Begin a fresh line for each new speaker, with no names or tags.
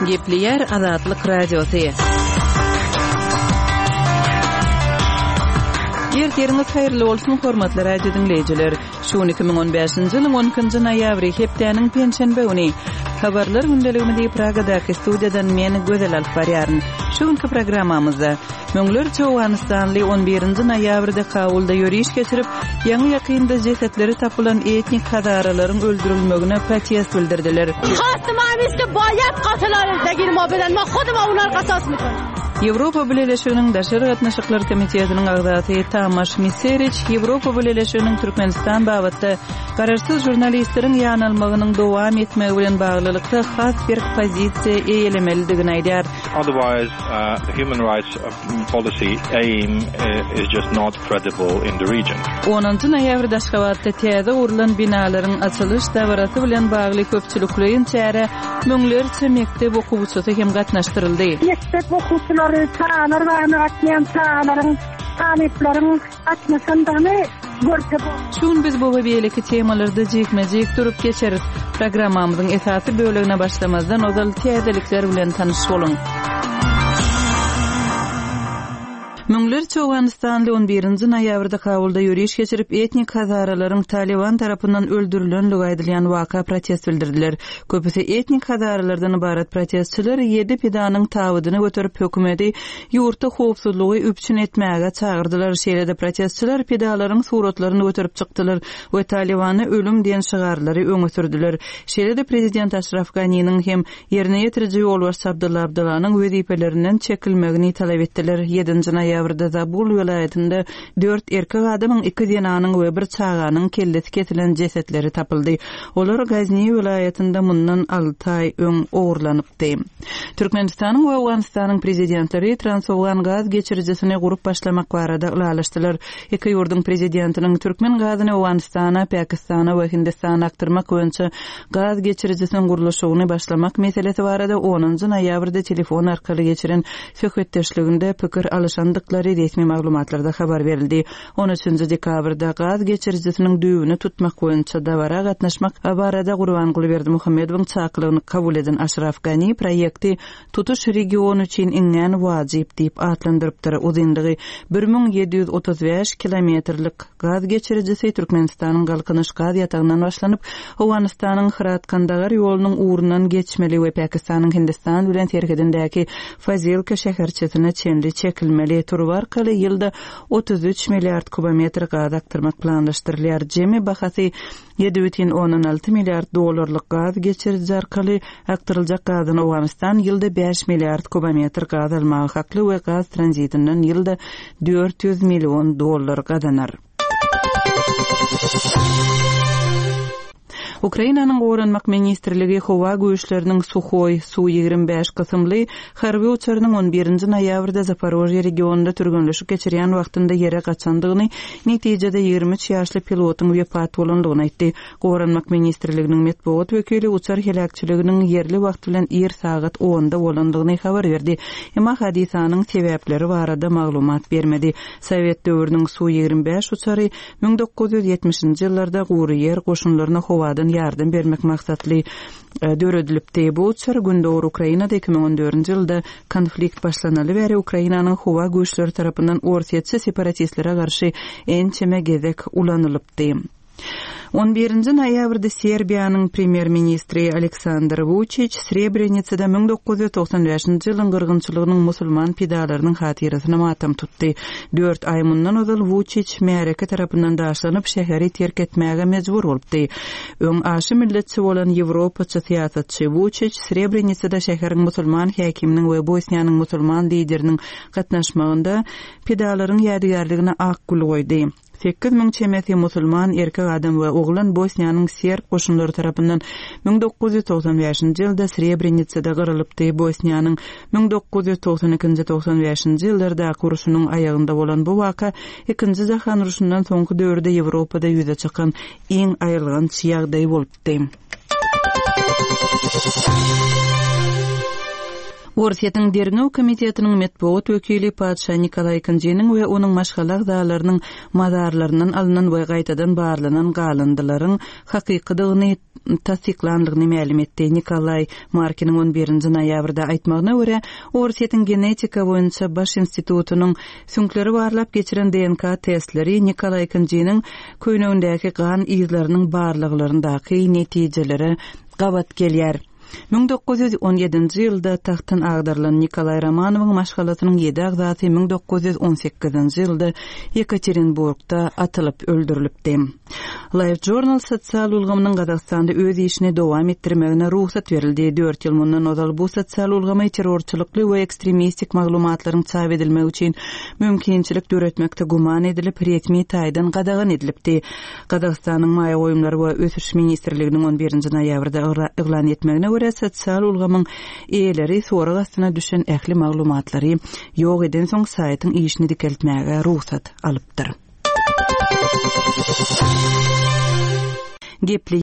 Gepleýär Azatlyk Radiosy. Ertiriňiz haýyrly bolsun, hormatly radio diňleýjiler. Şu gün 2015-nji ýylyň 12-nji noýabry, hepdäniň penşenbe güni. Habarlar gündeligimizi Pragadaky studiýadan men Gözel alyp barýaryn. Şu günki programmamyzda Müňlerçe owganystanly on birinji noýabrda Kabulda ýöriş geçirip, ýaňy-ýakynda jesetleri tapylan etnik hazaralaryň öldürilmegine protest bildirdiler. Ýewropa Bileleşiginiň Daşary gatnaşyklar komitetiniň agzasy Tamaş Miseriç Ýewropa Bileleşiginiň Türkmenistan babatda garaşsyz žurnalistleriň ýanalmagynyň dowam etmegi bilen baglylykda has berk pozisiýa eýelemelidigini aýdýar.
Otherwise, the human rights policy aim is just not credible in the region.
Onunjy noýabrda Aşgabatda täze gurlan binalaryň açylyş dabarasy bilen bagly köpçülikleýin çärä müňlerçe mekdep okuwçysy hem gatnaşdyryldy.
Mekdep okuwçylary, çagalar bagyna gatnaýan çagalaryň, talyplaryň gatnaşandygyny görse bolýar.
Şu gün biz bu we beýleki temalarda jikme-jik durup geçeris. Programmamyzyň esasy bölegine başlamazdan ozal täzelikler bilen tanyş boluň. Müňlerçe owganystanly on birinji noýabrda Kabulda ýöriş geçirip, etnik hazaralaryň Talyban tarapyndan öldürilenligi aýdylýan waka protest bildirdiler. Köpüsi etnik hazaralardan ybarat protestçiler ýedi pidanyň tabydyny göterip, hökümeti ýurtda howpsuzlygy üpjün etmäge çagyrdylar. Şeýle-de protestçiler pidalaryň suratlaryny göterip çykdylar we Talybana ölüm diýen şygarlary öňe sürdüler. Şeýle-de prezident Aşraf Ganiniň hem ýerine ýetiriji ýolbaşçy Abdylla Abdylanyň wezipelerinden çekilmegini talap etdiler. Ýedinji noýabrda Zabul welaýatynda dört erkek adamyň, iki zenanyň we bir çaganyň kellesi kesilen jesetleri tapyldy. Olar Gazni welaýatynda mundan alty aý öň ogurlanypdy. Türkmenistanyň we Owganystanyň Prezidentleri Transowgan gaz geçirijisini gurup başlamak barada ylalaşdylar. Iki ýurduň Prezidentiniň türkmen gazyny Owganystana, Pakistana we Hindistana akdyrmak boýunça gaz geçirijisiniň gurluşygyny başlamak meselesi barada onunjy noýabrda telefon arkaly geçiren söhbetdeşliginde pikir alyşandyklary resmi maglumatlarda habar berildi. On üçünji dekabrda gaz geçirijisiniň düýbüni tutmak boýunça dabara gatnaşmak barada Gurbanguly Berdimuhamedowyň çakylygyny kabul eden Aşraf Gani proýekti tutuş region üçin iňňän wajyp diýip atlandyrypdyr. Uzynlygy 1735 kilometrlik gaz geçirijisi Türkmenistanyň Galkynyş gaz ýatagyndan başlanyp, Owganystanyň Hyrat-Kandagar ýolunyň ugrundan geçmeli we Pakistanyň Hindistan bilen serhedindäki Fazilka şäherçesine çenli çekilmeli. Turba arkaly ýylda 33 milliard kubometr gaz akdyrmak planlaşdyrylýar. Jemi bahasy 7,6 milliard dollarlyk gaz geçiriji arkaly akdyryljak gazdan Owganystan ýylda 5 milliard kubometr gaz almaga hakly we gaz tranzitinden ýylda 400 million dollar gazanar. Ukrainanyň Goranmak ministrligi Howa güýçleriniň Suhoý, Su-25 kysymly harby uçarynyň on birinji noýabrda Zaporožýe regionynda türgenleşik geçirýän wagtynda ýere gaçandygyny, netijede 23 ýaşly pilotyň wepat bolandygyny aýtdy. Goranmak ministrliginiň metbugat wekili uçar heläkçiliginiň ýerli wagt bilen ir sagat onda bolandygyny habar berdi, emma hadysanyň sebäpleri barada maglumat bermedi. Sowet döwrüniň Su-25 uçary 1970-nji ýyllarda gury ýer goşunlaryna howadan ýardam bermek maksatly döredilipdi. Bu uçar Gündogar Ukrainada 2014-nji ýylda konflikt başlanaly bäri Ukrainanyň howa güýçleri tarapyndan orsýetçi separatistlere garşy ençeme gezek ulanylypdy. On birinji noýabrda Serbiýanyň premýer-ministri Aleksandr Wuçiç Srebrenisada 1995-nji ýylyň gyrgynçylygynyň musulman pidalarynyň hatyrasyna matam tutdy. Dört aý mundan ozal Wuçiç märeke tarapyndan daşlanyp, şäheri terk etmäge mejbur bolupdy. Öň aşa milletçi bolan ýewropaçy syýasatçy Wuçiç Srebrenisada şäheriň musulman häkiminiň we Bosniýanyň musulman lideriniň gatnaşmagynda pidalaryň ýadygärligine ak gül goýdy. 8000 çemesi musulman erkek adam we oglan Bosniýanyň serb goşunlary tarapyndan 1995-nji ýylda Srebrenisada gyrylypdy. Bosniýanyň 1992-nji 95-nji ýyllardaky urşunyň aýagynda bolan bu waka Ikinji jahan urşundan soňky döwürde Ýewropada ýüze çykan iň aýylganç ýagdaý bolupdy. Orsýetiň Derňew komitetiniň metbugat wekili patyşa Nikolaý II-niň we onuň maşgala agzalarynyň mazarlaryndan alnan we gaýtadan barlanan galyndylaryň hakykydygyny tassyklandygyny mälim etdi. Nikolaý Markiniň on birinji noýabrda aýtmagyna görä, Orsýetiň Genetika boýunça baş institutynyň süňkleri barlap geçiren DNK testleri Nikolaý II-niň köýnegindäki gan yzlarynyň barlaglaryndaky netijelere gabat gelýär. 1917-nji ýylda tagtdan agdarylan Nikolaý Romanowyň maşgalasynyň ýedi agzasy 1918-nji ýylda Ýekaterinburgda atylyp öldürilipdi. LiveJournal sosial ulgamynyň Gazagystanda öz işini dowam etdirmegine rugsat berildi. Dört ýyl mundan ozal bu sosial ulgamy terrorçylykly we ekstremistik maglumatlaryň çap edilmegi üçin mümkinçilik döretmekde güman edilip, resmi taýdan gadagan edilipdi. Gazagystanyň Maýa goýumlary we ösüş ministrliginiň on birinji noýabrda yglan etmegine görä, sosial ulgamyň eýeleri sorag astyna düşen ähli maglumatlary ýok edensoň saýtyň işini dikeltmäge rugsat alypdyr. Gepleýär.